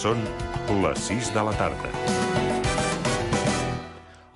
Són les 6 de la tarda.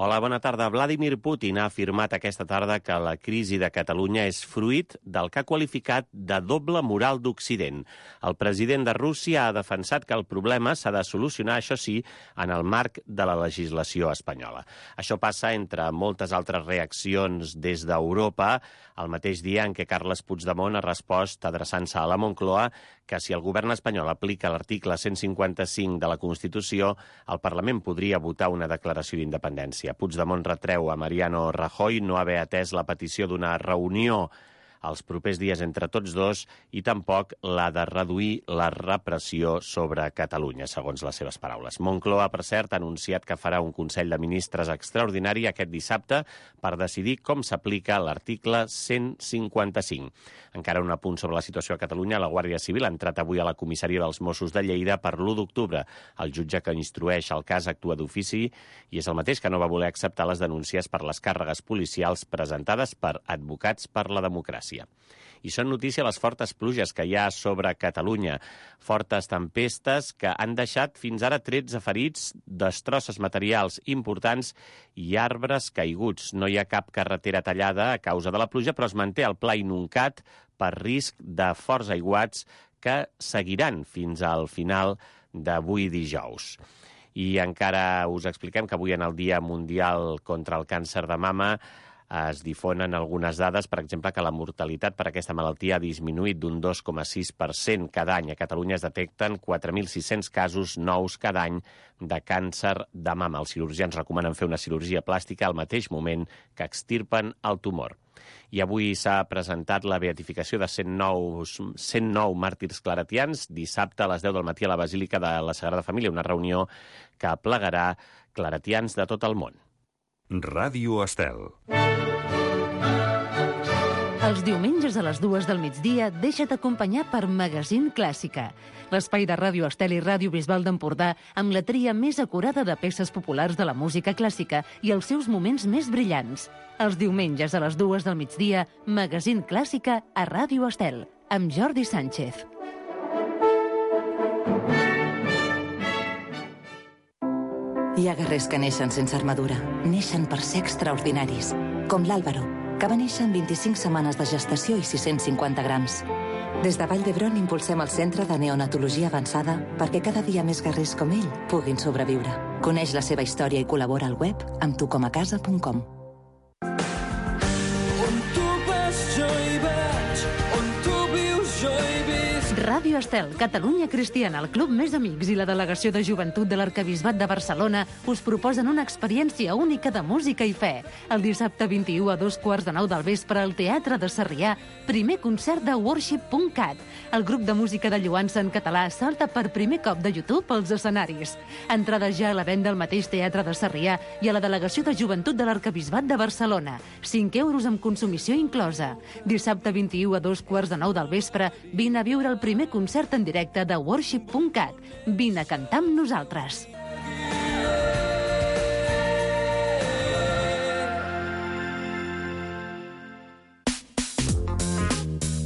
Hola, bona tarda. Vladimir Putin ha afirmat aquesta tarda que la crisi de Catalunya és fruit del que ha qualificat de doble moral d'Occident. El president de Rússia ha defensat que el problema s'ha de solucionar, això sí, en el marc de la legislació espanyola. Això passa entre moltes altres reaccions des d'Europa, el mateix dia en què Carles Puigdemont ha respost adreçant-se a la Moncloa que si el govern espanyol aplica l'article 155 de la Constitució, el Parlament podria votar una declaració d'independència. Puigdemont retreu a Mariano Rajoy no haver atès la petició d'una reunió els propers dies entre tots dos i tampoc la de reduir la repressió sobre Catalunya, segons les seves paraules. Moncloa, per cert, ha anunciat que farà un Consell de Ministres extraordinari aquest dissabte per decidir com s'aplica l'article 155. Encara un apunt sobre la situació a Catalunya. La Guàrdia Civil ha entrat avui a la comissaria dels Mossos de Lleida per l'1 d'octubre. El jutge que instrueix el cas actua d'ofici i és el mateix que no va voler acceptar les denúncies per les càrregues policials presentades per Advocats per la Democràcia. I són notícia les fortes pluges que hi ha sobre Catalunya. Fortes tempestes que han deixat fins ara 13 ferits, destrosses materials importants i arbres caiguts. No hi ha cap carretera tallada a causa de la pluja, però es manté el pla inuncat per risc de forts aiguats que seguiran fins al final d'avui dijous. I encara us expliquem que avui en el Dia Mundial contra el Càncer de Mama es difonen algunes dades, per exemple, que la mortalitat per aquesta malaltia ha disminuït d'un 2,6% cada any. A Catalunya es detecten 4.600 casos nous cada any de càncer de mama. Els cirurgians recomanen fer una cirurgia plàstica al mateix moment que extirpen el tumor. I avui s'ha presentat la beatificació de 109 màrtirs claretians dissabte a les 10 del matí a la Basílica de la Sagrada Família, una reunió que aplegarà claretians de tot el món. Ràdio Estel. Els diumenges a les 2 del migdia deixa't acompanyar per Magazín Clàssica, l'espai de Ràdio Estel i Ràdio Bisbal d'Empordà amb la tria més acurada de peces populars de la música clàssica i els seus moments més brillants. Els diumenges a les 2 del migdia, Magazín Clàssica a Ràdio Estel, amb Jordi Sánchez. Hi ha guerrers que neixen sense armadura. Neixen per ser extraordinaris, com l'Àlvaro, que va néixer amb 25 setmanes de gestació i 650 grams. Des de Vall d'Hebron impulsem el Centre de Neonatologia Avançada perquè cada dia més guerrers com ell puguin sobreviure. Coneix la seva història i col·labora al web amb tucomacasa.com. Ràdio Estel, Catalunya Cristiana, el Club Més Amics i la Delegació de Joventut de l'Arquebisbat de Barcelona us proposen una experiència única de música i fe. El dissabte 21 a 2:15 del vespre al Teatre de Sarrià, primer concert de Worship.cat. El grup de música de lloança en català salta per primer cop de YouTube als escenaris. Entrades ja a la venda al mateix Teatre de Sarrià i a la Delegació de Joventut de l'Arquebisbat de Barcelona. 5 euros amb consumició inclosa. Dissabte 21 a 2:15 del vespre, vine a viure el primer concert en directe de Worship.cat. Vine a cantar amb nosaltres.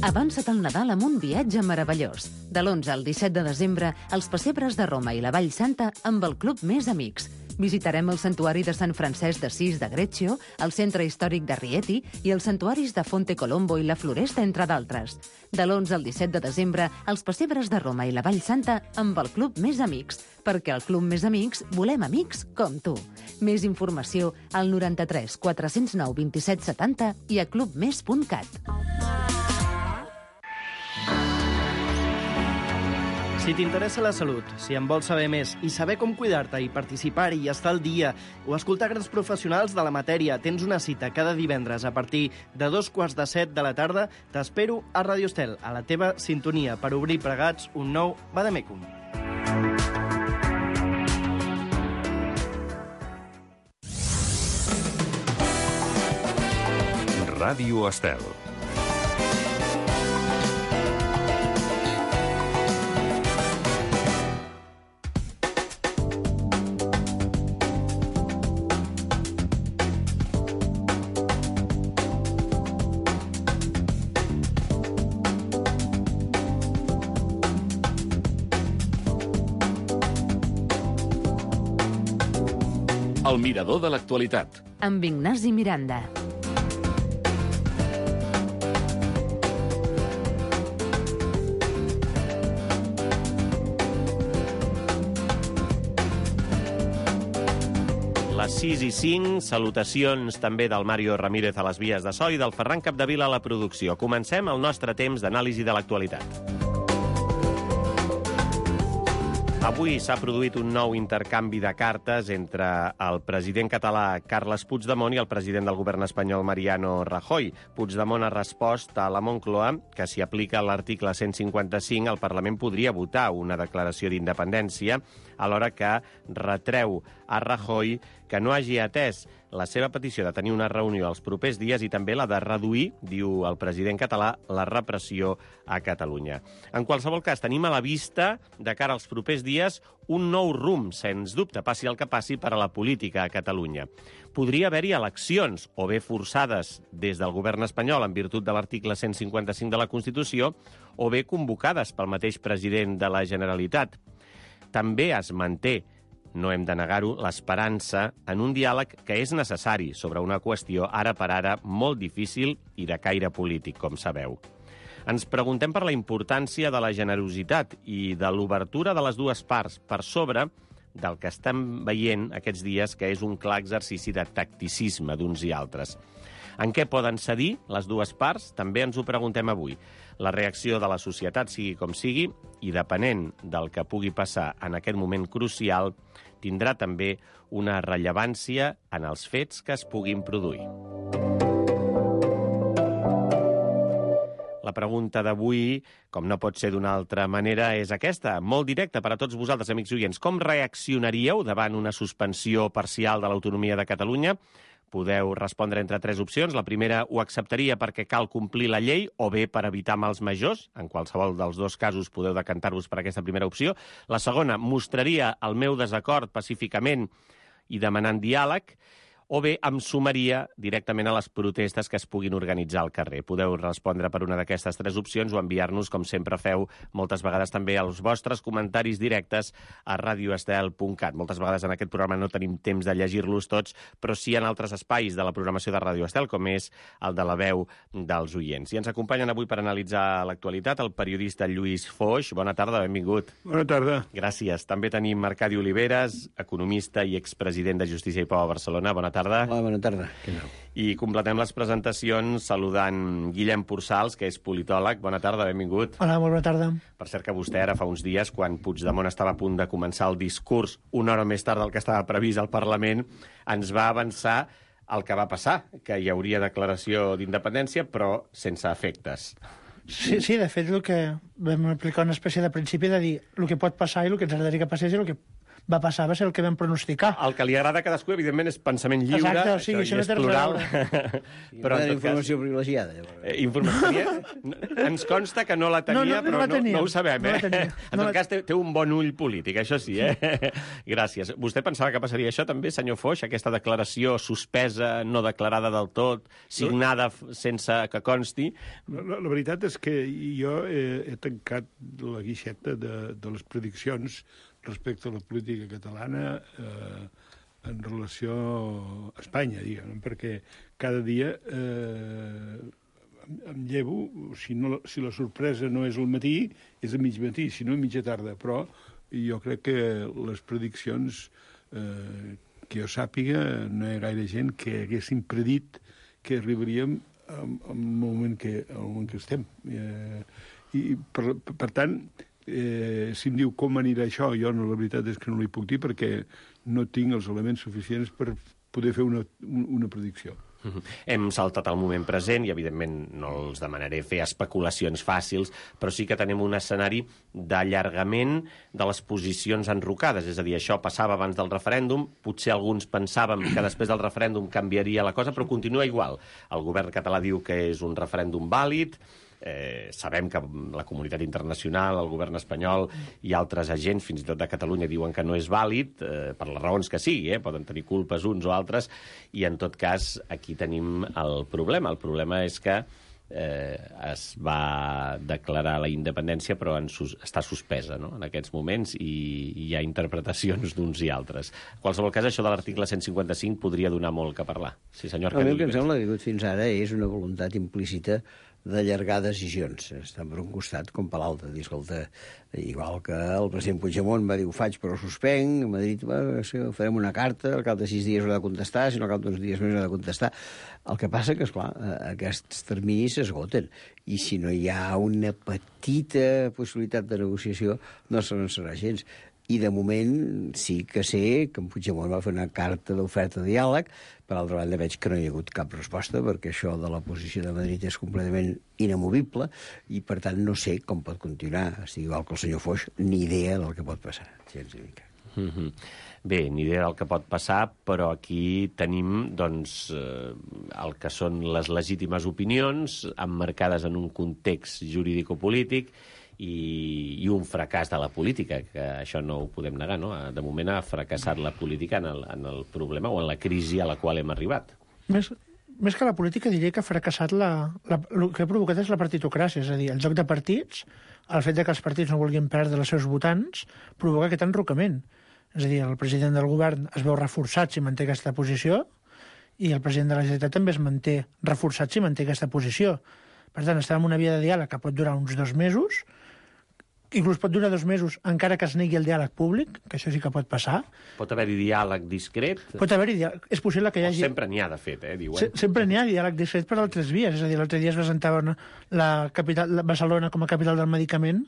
Avança't al Nadal amb un viatge meravellós. De l'11 al 17 de desembre, els pessebres de Roma i la Vall Santa amb el Club Més Amics. Visitarem el Santuari de Sant Francesc d'Assís de Greccio, el Centre Històric de Rieti i els santuaris de Fonte Colombo i la Floresta, entre d'altres. De l'11 al 17 de desembre, els pessebres de Roma i la Vall Santa amb el Club Més Amics, perquè al Club Més Amics volem amics com tu. Més informació al 93 409 27 70 i a clubmes.cat. Si t'interessa la salut, si en vols saber més i saber com cuidar-te i participar-hi i estar al dia o escoltar grans professionals de la matèria, tens una cita cada divendres a partir de 6:45 de la tarda. T'espero a Ràdio Estel, a la teva sintonia, per obrir plegats un nou Vademecum. Ràdio Estel. El mirador de l'actualitat. Amb Ignasi Miranda. Les 6 i 5, salutacions també del Mario Ramírez a les vies de so i del Ferran Capdevila a la producció. Comencem el nostre temps d'anàlisi de l'actualitat. Avui s'ha produït un nou intercanvi de cartes entre el president català Carles Puigdemont i el president del govern espanyol Mariano Rajoy. Puigdemont ha respost a la Moncloa que si aplica l'article 155 el Parlament podria votar una declaració d'independència, alhora que retreu a Rajoy que no hagi atès la seva petició de tenir una reunió els propers dies i també la de reduir, diu el president català, la repressió a Catalunya. En qualsevol cas, tenim a la vista, de cara als propers dies, un nou rumb, sens dubte, passi el que passi, per a la política a Catalunya. Podria haver-hi eleccions, o bé forçades des del govern espanyol en virtut de l'article 155 de la Constitució, o bé convocades pel mateix president de la Generalitat. També es manté, no hem de negar-ho, l'esperança en un diàleg que és necessari sobre una qüestió ara per ara molt difícil i de caire polític, com sabeu. Ens preguntem per la importància de la generositat i de l'obertura de les dues parts per sobre del que estem veient aquests dies, que és un clar exercici de tacticisme d'uns i altres. En què poden cedir les dues parts? També ens ho preguntem avui. La reacció de la societat, sigui com sigui, i depenent del que pugui passar en aquest moment crucial, tindrà també una rellevància en els fets que es puguin produir. La pregunta d'avui, com no pot ser d'una altra manera, és aquesta, molt directa per a tots vosaltres, amics oients. Com reaccionaríeu davant una suspensió parcial de l'autonomia de Catalunya? Podeu respondre entre 3 opcions. La primera, ho acceptaria perquè cal complir la llei o bé per evitar mals majors. En qualsevol dels dos casos podeu decantar-vos per aquesta primera opció. La segona, mostraria el meu desacord pacíficament i demanant diàleg, o bé em sumaria directament a les protestes que es puguin organitzar al carrer. Podeu respondre per una d'aquestes 3 opcions o enviar-nos, com sempre feu, moltes vegades també els vostres comentaris directes a radioestel.cat. Moltes vegades en aquest programa no tenim temps de llegir-los tots, però sí en altres espais de la programació de Radio Estel, com és el de la veu dels oients. I ens acompanyen avui per analitzar l'actualitat el periodista Lluís Foix. Bona tarda, benvingut. Bona tarda. Gràcies. També tenim Arcadi Oliveres, economista i expresident de Justícia i Pau a Barcelona. Bona tarda. Hola, bona tarda. I completem les presentacions saludant Guillem Pursals, que és politòleg. Bona tarda, benvingut. Hola, molt bona tarda. Per cert que vostè ara fa uns dies, quan Puigdemont estava a punt de començar el discurs, una hora més tard del que estava previst al Parlament, ens va avançar el que va passar, que hi hauria declaració d'independència, però sense efectes. Sí, de fet, el que vam aplicar una espècie de principi de dir el que pot passar i el que ens agradaria que passés i el que va passar va ser el que vam pronosticar. El que li agrada a cadascú, evidentment, és pensament lliure. Exacte, o sigui, això no és plural. Però en informació privilegiada. Informació? Ens consta que no la tenia, però no ho sabem. En tot cas, té un bon ull polític, això sí. Gràcies. Vostè pensava que passaria això també, senyor Foix, aquesta declaració suspesa, no declarada del tot, signada sense que consti? La veritat és que jo he tancat la guixeta de les prediccions respecte a la política catalana en relació a Espanya, diguem, perquè cada dia em llevo, si la sorpresa no és al matí, és a mig matí, si no a mitja tarda, però jo crec que les prediccions que jo sàpiga no hi ha gaire gent que haguessin predit que arribaríem al moment que estem. I per tant, si em diu com anirà això, jo la veritat és que no li puc dir perquè no tinc els elements suficients per poder fer una predicció. Hem saltat el moment present i, evidentment, no els demanaré fer especulacions fàcils, però sí que tenim un escenari d'allargament de les posicions enrocades. És a dir, això passava abans del referèndum, potser alguns pensàvem que després del referèndum canviaria la cosa, però continua igual. El govern català diu que és un referèndum vàlid, sabem que la comunitat internacional, el govern espanyol i altres agents, fins i tot de Catalunya, diuen que no és vàlid, per les raons que sigui, poden tenir culpes uns o altres, i en tot cas aquí tenim el problema. El problema és que es va declarar la independència, però està suspesa, no?, en aquests moments, i hi ha interpretacions d'uns i altres. En qualsevol cas, això de l'article 155 podria donar molt que parlar. Sí, senyor El que em Canillas. sembla que ha hagut fins ara és una voluntat implícita d'allargar decisions, tant per un costat com per l'altre. Dir, escolta, igual que el president Puigdemont va dir ho faig però ho suspenc, a Madrid farem una carta, al cap de 6 dies ho ha de contestar, si no al cap d'uns dies més ho ha de contestar. El que passa que, esclar, aquests terminis s'esgoten, i si no hi ha una petita possibilitat de negociació, no serà gens. I de moment sí que sé que en Puigdemont va fer una carta d'oferta de diàleg. Per altra banda, veig que no hi ha hagut cap resposta, perquè això de la posició de Madrid és completament inamovible, i per tant no sé com pot continuar. Estic igual que el senyor Foix, ni idea del que pot passar. Bé, ni idea del que pot passar, però aquí tenim, doncs, el que són les legítimes opinions, emmarcades en un context jurídico-polític, i un fracàs de la política, que això no ho podem negar, no? De moment ha fracassat la política en el problema o en la crisi a la qual hem arribat. Més que la política, diria que ha fracassat el que ha provocat és la partitocràcia, és a dir, el joc de partits, el fet que els partits no vulguin perdre els seus votants, provoca aquest enrocament. És a dir, el president del govern es veu reforçat si manté aquesta posició, i el president de la Generalitat també es manté reforçat si manté aquesta posició. Per tant, estem en una via de diàleg que pot durar uns 2 mesos, inclús pot durar 2 mesos encara que es negui el diàleg públic, que això sí que pot passar. Pot haver-hi diàleg discret? Pot haver-hi diàleg. És possible que hi hagi... Sempre n'hi ha, de fet, diuen. Sempre n'hi ha diàleg discret per altres vies. És a dir, l'altre dia es presentava Barcelona com a capital del medicament,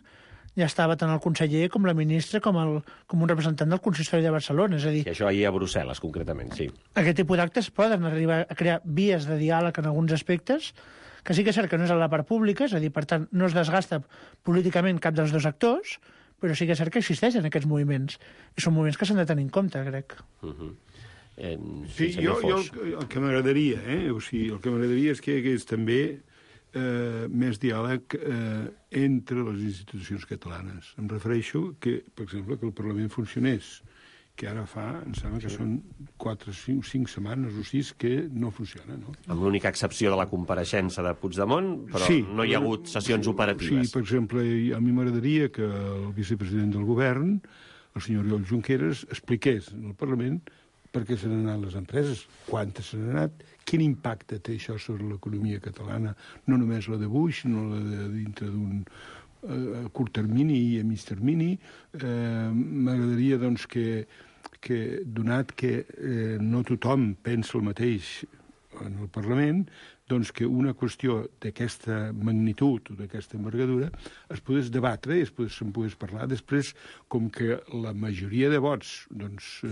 ja estava tant el conseller com la ministra com un representant del consistori de Barcelona. És a dir, I això ahir a Brussel·les, concretament, sí. Aquest tipus d'actes poden arribar a crear vies de diàleg en alguns aspectes, que sí que és cert que no és a la part pública, és a dir, per tant, no es desgasta políticament cap dels dos actors, però sí que és cert que existeixen aquests moviments. I són moviments que s'han de tenir en compte, crec. Sí, jo el que m'agradaria, o sigui, el que m'agradaria és que hi hagués també més diàleg entre les institucions catalanes. Em refereixo que, per exemple, que el Parlament funcionés, que ara em sembla que són 4, 5 setmanes o 6 que no funciona, no? Amb l'única excepció de la compareixença de Puigdemont, però sí, no hi ha hagut sessions operatives. Sí, per exemple, a mi m'agradaria que el vicepresident del govern, el senyor Oriol Junqueras, expliqués al Parlament per què se n'han anat les empreses, quantes se n'han anat, quin impacte té això sobre l'economia catalana, no només la de Buix, sinó la de dintre d'un a curt termini i a mig termini. M'agradaria, doncs, que donat que no tothom pensa el mateix en el Parlament, doncs que una qüestió d'aquesta magnitud o d'aquesta envergadura es pogués debatre i se'n pogués parlar. Després, com que la majoria de vots doncs,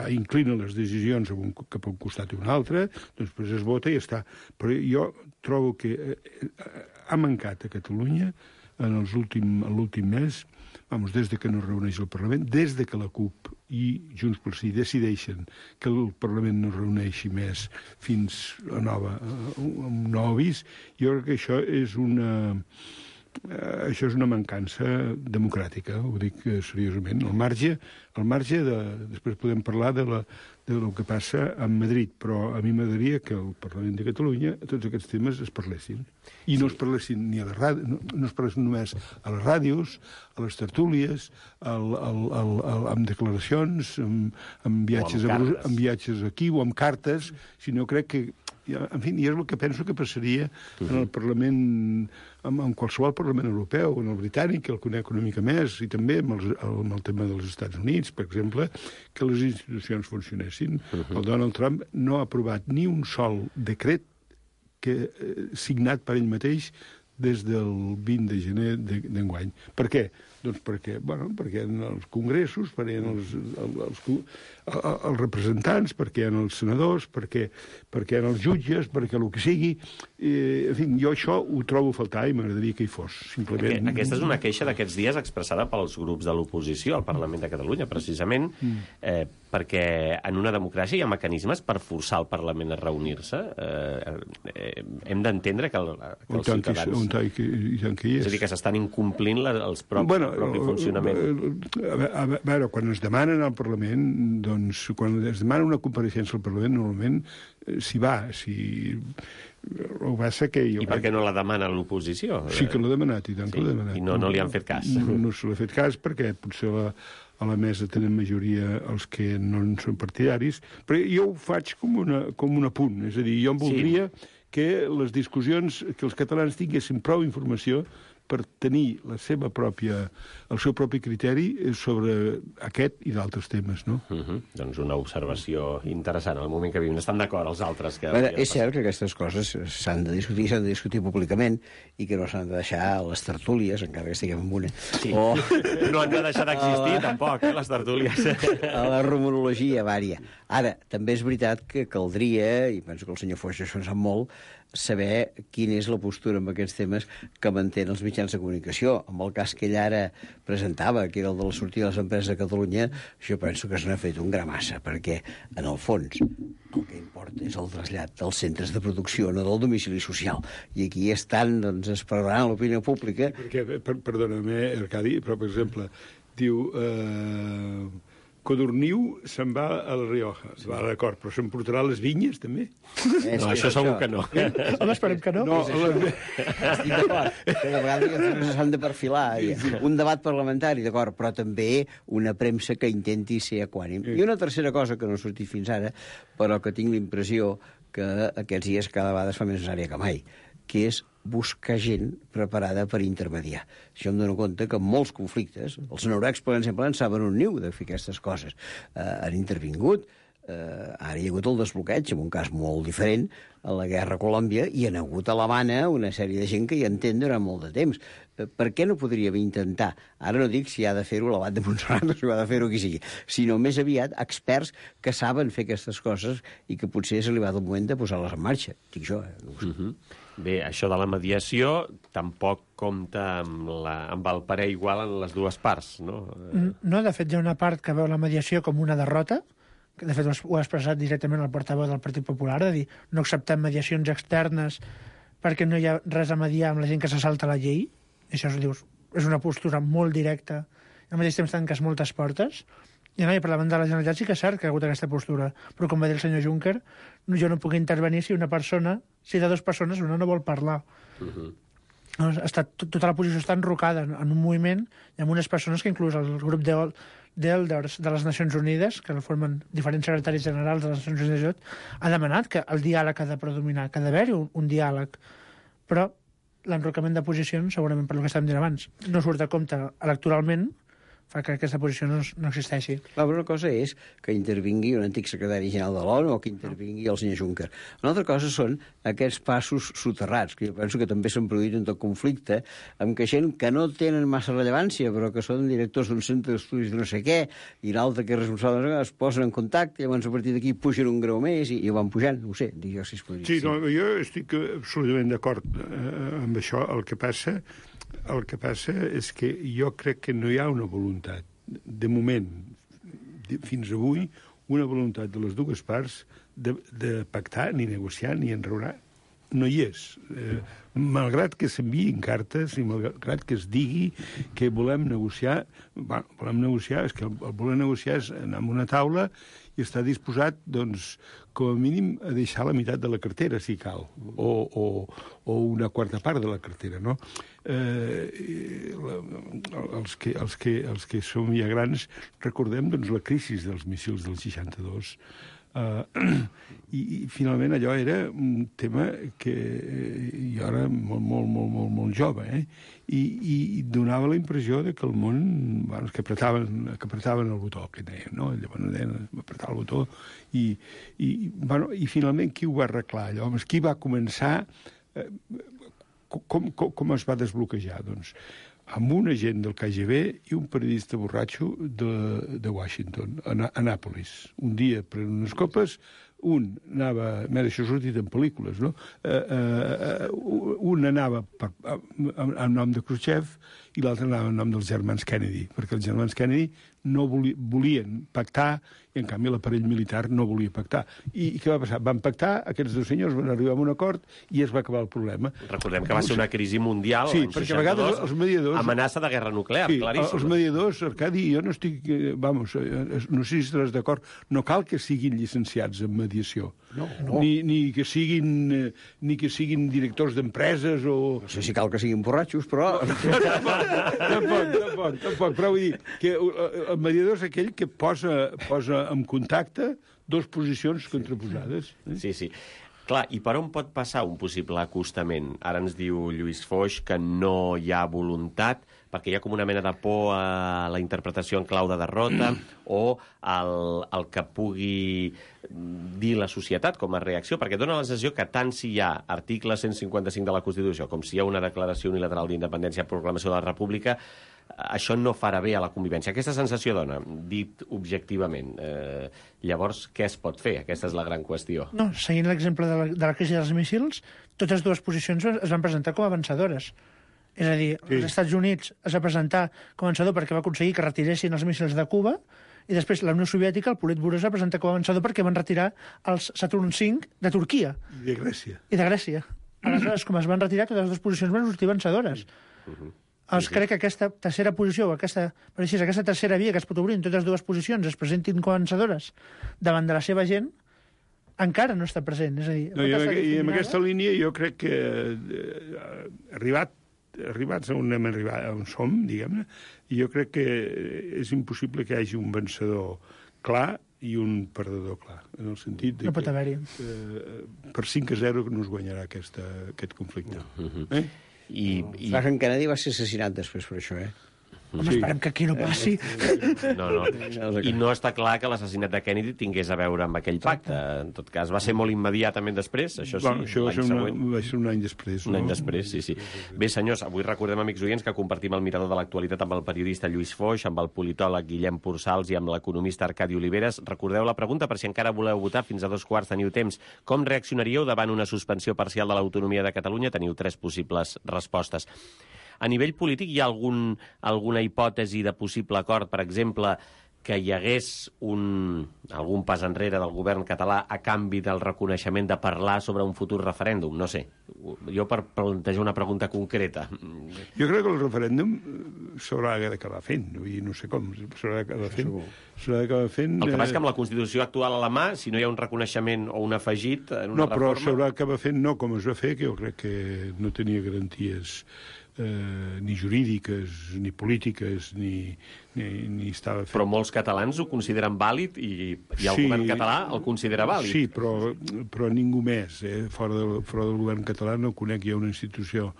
inclina les decisions cap a un costat i un altre, doncs després es vota i ja està. Però jo trobo que ha mancat a Catalunya en l'últim mes, des de que no es reuneix el Parlament, des de que la CUP i Junts pel Sí decideixen que el Parlament no es reuneixi més fins a un nou avís, jo crec que això és una mancança democràtica, ho dic seriosament. Al marge de... Després podem parlar del que passa a Madrid, però a mi m'agradaria que al Parlament de Catalunya tots aquests temes es parlessin. I no es parlessin ni a la ràdio, no es parlessin només a les ràdios, a les tertúlies, amb declaracions, amb viatges aquí o amb cartes, sinó crec que en fi, i és el que penso que passaria en el Parlament, en qualsevol Parlament europeu, en el britànic, el conec una mica més, i també amb el tema dels Estats Units, per exemple, que les institucions funcionessin. El Donald Trump no ha aprovat ni un sol decret signat per ell mateix des del 20 de gener d'enguany. Per què? Doncs perquè en els congressos, perquè en els representants, perquè en els senadors, perquè en els jutges, perquè el que sigui. En fi, jo això ho trobo a faltar i m'agradaria que hi fos. Simplement... Aquesta és una queixa d'aquests dies expressada pels grups de l'oposició al Parlament de Catalunya, precisament perquè en una democràcia hi ha mecanismes per forçar el Parlament a reunir-se. Hem d'entendre que els ciutadans... És a dir, que s'estan incomplint els propis funcionament. A veure, quan es demanen al Parlament, doncs, quan es demana una compareixença al Parlament, normalment s'hi va, el que passa que I per què no la demana l'oposició? Sí que l'ha demanat, i tant que l'ha demanat. I no li han fet cas. No se l'ha fet cas perquè potser a la mesa tenen majoria els que no en són partidaris, però jo ho faig com un apunt, és a dir, jo em voldria que les discussions, que els catalans tinguessin prou informació per tenir el seu propi criteri sobre aquest i d'altres temes, no? Doncs una observació interessant al moment que vivim. Estan d'acord els altres que... És cert que aquestes coses s'han de discutir públicament i que no s'han de deixar a les tertúlies, encara que estiguem en una. Sí. No han de deixar d'existir, tampoc, les tertúlies. A la rumorologia vària. Ara, també és veritat que caldria, i penso que el senyor Foix això en sap molt, saber quina és la postura en aquests temes que mantenen els mitjans de comunicació. En el cas que ell ara presentava, que era el de la sortida de les empreses de Catalunya, jo penso que se n'ha fet un gramassa, perquè, en el fons, el que importa és el trasllat dels centres de producció, no del domicili social. I aquí estan, doncs, esperant l'opinió pública. Perquè, perdona-me, Arcadi, però, per exemple, diu... Codorniu se'n va a la Rioja. Va, d'acord, però s'emportarà les vinyes, també? No, això segur que no. Home, esperem que no. Estic d'acord. Que de vegades s'han de perfilar. Un debat parlamentari, d'acord, però també una premsa que intenti ser equànim. I una tercera cosa que no ha sortit fins ara, però que tinc l'impressió que aquests dies cada vegada es fa més necessària que mai, que és buscar gent preparada per intermediar. Això em dono compte que en molts conflictes, els noruecs, per exemple, en saben un niu de fer aquestes coses. Han intervingut, ara hi ha hagut el desbloqueig, en un cas molt diferent, a la guerra a Colòmbia, i han hagut a l'Havana una sèrie de gent que hi entén durant molt de temps. Per què no podríem intentar, ara no dic si ha de fer-ho l'Abat de Montserrat o si ha de fer-ho qui sigui, sinó més aviat experts que saben fer aquestes coses i que potser és arribat el moment de posar-les en marxa. Dic jo, no ho sé. Bé, això de la mediació tampoc compta amb el parer igual en les dues parts, no? No, de fet, hi ha una part que veu la mediació com una derrota, que de fet ho ha expressat directament el portaveu del Partit Popular, de dir, no acceptem mediacions externes perquè no hi ha res a mediar amb la gent que se salta la llei. I això és una postura molt directa, i al mateix temps tanques moltes portes. I per davant de la Generalitat sí que és cert que ha hagut aquesta postura, però com va dir el senyor Juncker, jo no puc intervenir si de dues persones una no vol parlar. Tota la posició està enrocada en un moviment i amb unes persones que inclús el grup d'Elders de les Nacions Unides, que formen diferents secretaris generals de les Nacions Unides, ha demanat que el diàleg ha de predominar, que ha d'haver-hi un diàleg. Però l'enrocament de posicions, segurament per el que estàvem dient abans, no surt a compte electoralment, fa que aquesta posició no existeixi. Una cosa és que intervingui un antic secretari general de l'ONU o que intervingui el senyor Juncker. Una altra cosa són aquests passos soterrats, que jo penso que també s'han produït en tot conflicte, amb que gent que no tenen massa rellevància, però que són directors d'un centre d'estudis de no sé què, i l'altre que és responsable es posen en contacte, i llavors a partir d'aquí pugen un grau més i ho van pujant. No ho sé, dic jo si es podria. Sí, no, jo estic absolutament d'acord amb això. El que passa és que jo crec que no hi ha una voluntat, de moment, fins avui, una voluntat de les dues parts de pactar, ni negociar, ni enraonar. No hi és. Malgrat que s'enviïn cartes i malgrat que es digui que volem negociar, és que el voler negociar és anar a una taula i està disposat, doncs, com a mínim, a deixar la meitat de la cartera, si cal, o una quarta part de la cartera, no? Els que som ja grans recordem, doncs, la crisi dels míssils del 62, i finalment allò era un tema que jo era molt jove, i donava la impressió que el món, que apretaven el botó, que deien, no? Llavors deien apretar el botó, i finalment qui ho va arreglar allò? Qui va començar? Com es va desbloquejar? Doncs amb un agent del KGB i un periodista borratxo de Washington, a Nàpolis. Un dia prenent unes copes, un anava... Això ha sortit en pel·lícules, no? Un anava en nom de Khrushchev i l'altre anava en nom dels germans Kennedy, perquè els germans Kennedy no volien pactar i, en canvi, l'aparell militar no volia pactar. I què va passar? Van pactar, aquests dos senyors van arribar a un acord i es va acabar el problema. Recordem que va ser una crisi mundial, sí, l'any 62, perquè a vegades els mediadors... amenaça de guerra nuclear, sí, claríssim. Els mediadors, Arcadi, jo no estic... Vamos, no sé si estaràs d'acord, no cal que siguin llicenciats en mediació. No. Ni que siguin directors d'empreses o... No sé si cal que siguin borratxos, però... Tampoc, però vull dir que el mediador és aquell que posa en contacte dues posicions contraposades. Sí. Clar, i per on pot passar un possible acostament? Ara ens diu Lluís Foix que no hi ha voluntat, perquè hi ha com una mena de por a la interpretació en clau de derrota o el que pugui dir la societat com a reacció, perquè dona la sensació que tant si hi ha article 155 de la Constitució com si hi ha una declaració unilateral d'independència, proclamació de la República, això no farà bé a la convivència. Aquesta sensació dona, dit objectivament. Llavors, què es pot fer? Aquesta és la gran qüestió. No, seguint l'exemple de la crisi dels míssils, totes dues posicions es van presentar com a vencedores. És a dir, els Estats Units es va presentar com a vencedor perquè va aconseguir que retiressin els míssils de Cuba, i després la Unió Soviètica, el Politburó, es va presentar com a vencedor perquè van retirar els Saturn V de Turquia. I de Grècia. Aleshores, com es van retirar, totes les dues posicions van sortir vencedores. Crec que aquesta tercera posició, aquesta tercera via que es pot obrir en totes dues posicions es presentin com a vencedores davant de la seva gent, encara no està present. És a dir, I en aquesta línia jo crec que arribats on som, diguem-ne, jo crec que és impossible que hi hagi un vencedor clar i un perdedor clar, en el sentit de no pot haver-hi. Per 5-0 no es guanyarà aquest conflicte. Franklin Kennedy va ser assassinat després per això, Home, esperem que aquí no passi. No. I no està clar que l'assassinat de Kennedy tingués a veure amb aquell pacte. En tot cas, va ser molt immediatament després, això sí, això va ser un any després. Un any després, sí. Bé, senyors, avui recordem, amics oients, que compartim el mirador de l'actualitat amb el periodista Lluís Foix, amb el politòleg Guillem Purçals i amb l'economista Arcadi Oliveres. Recordeu la pregunta, per si encara voleu votar, fins a 2:15 teniu temps. Com reaccionaríeu davant una suspensió parcial de l'autonomia de Catalunya? Teniu 3 possibles respostes. A nivell polític hi ha alguna hipòtesi de possible acord, per exemple, que hi hagués algun pas enrere del govern català a canvi del reconeixement de parlar sobre un futur referèndum? No sé. Jo per plantejar una pregunta concreta. Jo crec que el referèndum s'haurà d'acabar fent. Vull dir, no sé com, s'haurà d'acabar fent. El que passa és que amb la Constitució actual a la mà, si no hi ha un reconeixement o un afegit en una reforma... No, però s'haurà d'acabar fent no com es va fer, que jo crec que no tenia garanties ni jurídiques, ni polítiques, ni estava fet. Però molts catalans ho consideren vàlid i el govern català el considera vàlid. Sí, però ningú més. Fora del govern català no conec ja una institució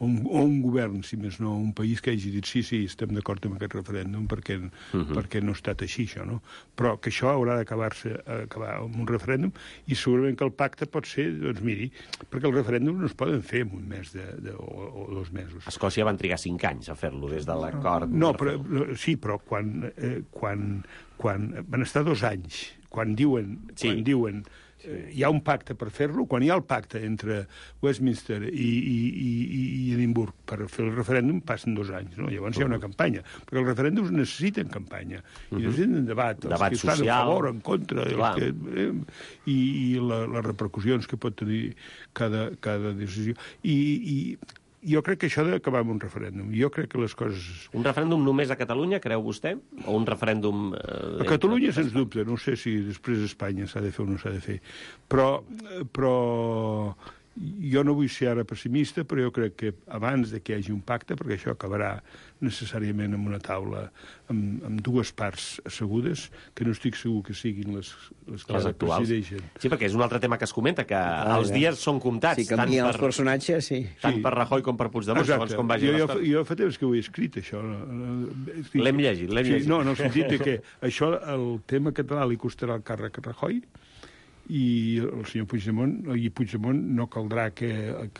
o un govern, si més no, un país que hagi dit sí, estem d'acord amb aquest referèndum perquè no ha estat així, això, no? Però que això haurà d'acabar amb un referèndum i segurament que el pacte pot ser, doncs miri, perquè el referèndum no es poden fer en un mes o 2 mesos. Escòcia van trigar 5 anys a fer-lo des de l'acord. No, però quan van estar 2 anys, quan diuen hi ha un pacte per fer-lo, quan hi ha el pacte entre Westminster i Edimburg per fer el referèndum, passen 2 anys, no? Llavors hi ha una campanya, perquè els referèndums necessiten campanya, i necessiten debat que social, estan a favor, en contra, i les repercussions que pot tenir cada decisió. I jo crec que això ha d'acabar amb un referèndum. Jo crec que les coses... Un referèndum només a Catalunya, creu vostè? O un referèndum... A Catalunya, sens dubte. No sé si després a Espanya s'ha de fer o no s'ha de fer. Però jo no vull ser ara pessimista, però jo crec que abans de que hi hagi un pacte, perquè això acabarà necessàriament amb una taula amb 2 parts assegudes, que no estic segur que siguin les que actuals presideixen. Sí, perquè és una altra tema que es comenta, que els dies són comptats. Si canvien els personatges, sí. Tant per Rajoy com per Puigdemont, segons com vagi l'estat. Jo fa temps que ho he escrit, això. L'hem llegit. No, en el sentit que això, el tema català li costarà el càrrec a Rajoy, i el senyor Puigdemont no caldrà que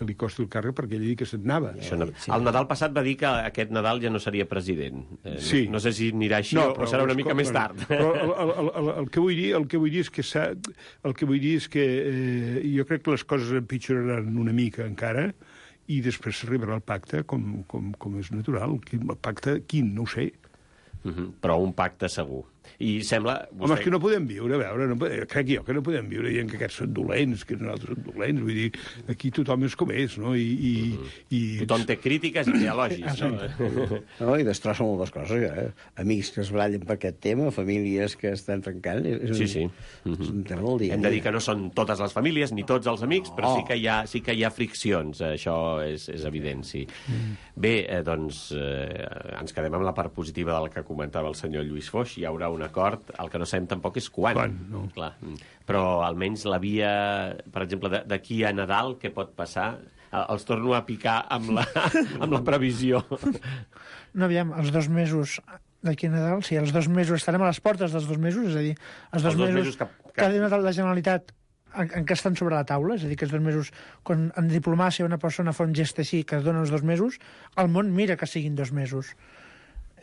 li costi el càrrec perquè ell ha dit que se'n anava. El Nadal passat va dir que aquest Nadal ja no seria president. Sí. No sé si anirà així o serà una mica més tard. Però el que vull dir és que jo crec que les coses empitjoraran una mica encara i després s'arribarà al pacte com és natural. El pacte, quin? No ho sé. Però un pacte segur. I sembla... Home, és que no podem viure, a veure, crec jo que no podem viure dient que aquests són dolents, que nosaltres som dolents, vull dir, aquí tothom és com és, no? Tothom té crítiques i té elogis, no? No, i destrossa moltes coses, Amics que es barallen per aquest tema, famílies que estan trencant... Sí. És un tema del dia. Hem de dir que no són totes les famílies ni tots els amics, però sí que hi ha friccions, això és evident, sí. Bé, doncs, ens quedem amb la part positiva del que comentava el senyor Lluís Foix. Hi haurà un acord, el que no sabem tampoc és quan. No. Clar. Però almenys la via, per exemple, d'aquí a Nadal, què pot passar? Els torno a picar amb la previsió. No, aviam, els 2 mesos d'aquí a Nadal, sí, els 2 mesos, estarem a les portes dels 2 mesos, és a dir, els 2 mesos que ha donat la Generalitat en què estan sobre la taula, és a dir, que els 2 mesos, quan en diplomàcia una persona fa un gest així, que es dona els 2 mesos, el món mira que siguin 2 mesos.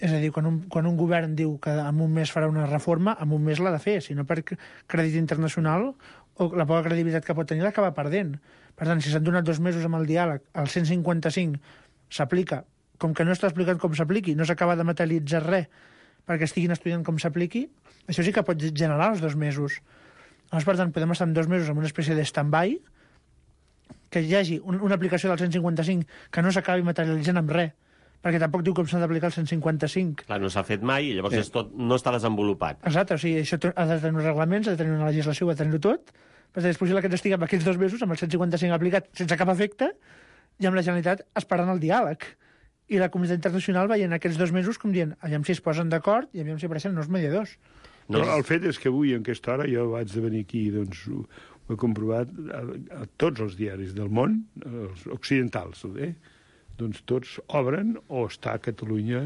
És a dir, quan un govern diu que en un mes farà una reforma, en un mes l'ha de fer, si no per crèdit internacional o la poca credibilitat que pot tenir l'acaba perdent. Per tant, si s'han donat 2 mesos amb el diàleg, el 155 s'aplica, com que no està explicat com s'apliqui, no s'acaba de materialitzar res perquè estiguin estudiant com s'apliqui, això sí que pot generar els 2 mesos. Llavors, per tant, podem estar en 2 mesos amb una espècie de stand-by, que hi hagi una aplicació del 155 que no s'acabi materialitzant amb res, perquè tampoc diu com s'ha d'aplicar el 155. Clar, no s'ha fet mai i llavors no està desenvolupat. Exacte, o sigui, això ha de tenir uns reglaments, ha de tenir una legislació, ha de tenir-ho tot, però és possible que ens estiguem aquests 2 mesos amb el 155 aplicat sense cap efecte i amb la Generalitat esperant el diàleg. I la comunitat internacional veient aquests 2 mesos com dient, aviam si es posen d'acord i aviam si apareixen nous mediadors. No. Però el fet és que avui, en aquesta hora, jo vaig de venir aquí, doncs ho he comprovat a tots els diaris del món, els occidentals, doncs tots obren o està a Catalunya a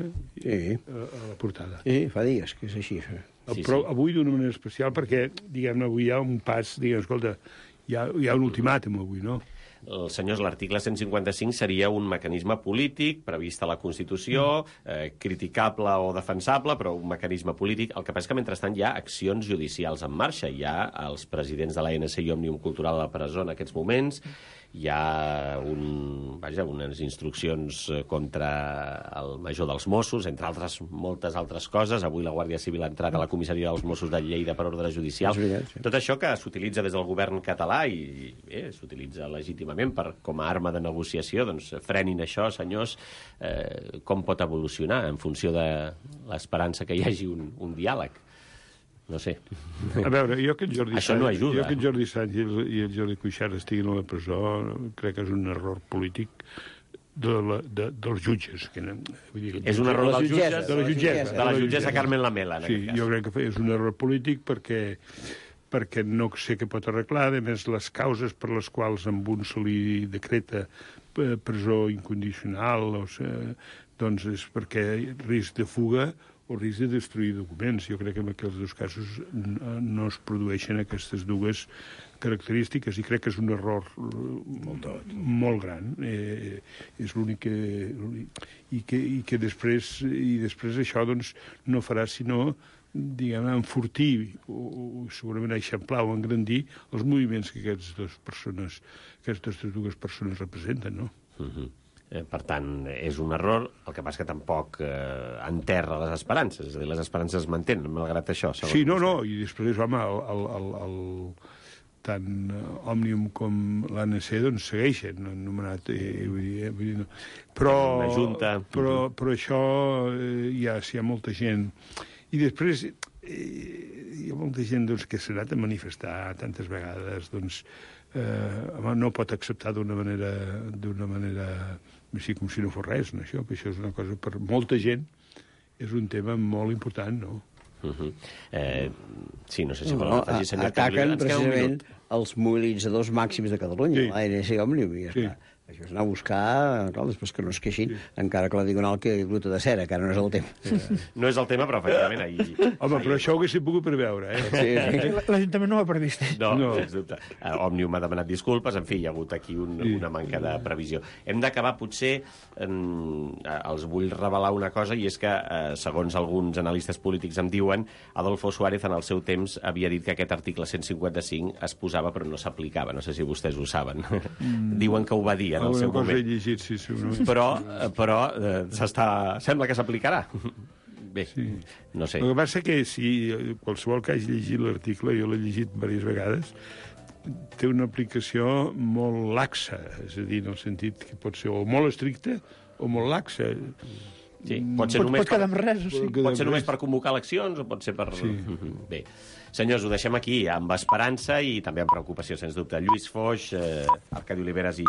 la portada. Sí, fa dies que és així. Però avui d'una manera especial perquè, diguem-ne, avui hi ha un pas, escolta, hi ha un ultimàtum avui, no? Senyors, l'article 155 seria un mecanisme polític previst a la Constitució, criticable o defensable, però un mecanisme polític. El que passa és que, mentrestant, hi ha accions judicials en marxa. Hi ha els presidents de l'ANC i Òmnium Cultural a la presó en aquests moments. Hi ha unes instruccions contra el major dels Mossos, entre altres, moltes altres coses. Avui la Guàrdia Civil ha entrat a la comissaria dels Mossos de Lleida per ordre judicial. Tot això que s'utilitza des del govern català i s'utilitza legítimament com a arma de negociació, doncs frenin això, senyors. Com pot evolucionar en funció de l'esperança que hi hagi un diàleg? No sé. A veure, jo que això no ajuda. Jo que Jordi Sánchez i el Jordi Cuixart estiguin a la presó crec que és un error polític dels jutges. És un error dels jutges? De la jutgessa Carmen Lamela, en aquest cas. Sí, jo crec que és un error polític perquè no sé què pot arreglar. A més, les causes per les quals amb un se li decreta presó incondicional doncs és perquè risc de fuga o risc de destruir documents. Jo crec que en aquests 2 casos no es produeixen aquestes 2 característiques i crec que és un error molt gran. És l'únic que... I que després això doncs, no farà sinó enfortir o segurament eixamplar o engrandir els moviments que aquestes 2 persones representen, no? Per tant, és un error, el que passa que tampoc enterra les esperances, és a dir, les esperances es mantenen, malgrat això. Sí, no, i després, home, tant Òmnium com l'ANC doncs segueixen, anomenat, però això hi ha molta gent. I després hi ha molta gent doncs, que s'ha anat a manifestar tantes vegades, doncs, no pot acceptar d'una manera així com si no fos res, no? Això és una cosa per molta gent, és un tema molt important, no? Sí, no sé si vol afegir, senyor Cabrera. Ataquen precisament els mobilitzadors màxims de Catalunya, l'ANC i Òmnium, i ja està. Això és anar a buscar, després que no es queixin, encara que la Diagonal quedi bruta de cera, que ara no és el tema. No és el tema, però efectivament ahir... Home, però això ho haguéssim pogut preveure, Sí. L'Ajuntament no ho ha previst. No, sens dubte. Òmnium ha demanat disculpes, en fi, hi ha hagut aquí una manca de previsió. Hem d'acabar, potser, els vull revelar una cosa, i és que, segons alguns analistes polítics em diuen, Adolfo Suárez en el seu temps havia dit que aquest article 155 es posava però no s'aplicava. No sé si vostès ho saben. Diuen que ho va dir en el seu Alguna cosa he moment. llegit, sí, segurament. Però sembla que s'aplicarà. Bé, Sí. no sé. El que passa que si qualsevol que hagi llegit l'article, jo l'he llegit diverses vegades, té una aplicació molt laxa, és a dir, en el sentit que pot ser o molt estricta o molt laxa. Sí, pot ser només Pot quedar amb res, o sigui. Pot ser només per convocar eleccions o pot ser per... Sí. Bé, senyors, ho deixem aquí, amb esperança i també amb preocupació, sens dubte. Lluís Foix, Arcadi Oliveres i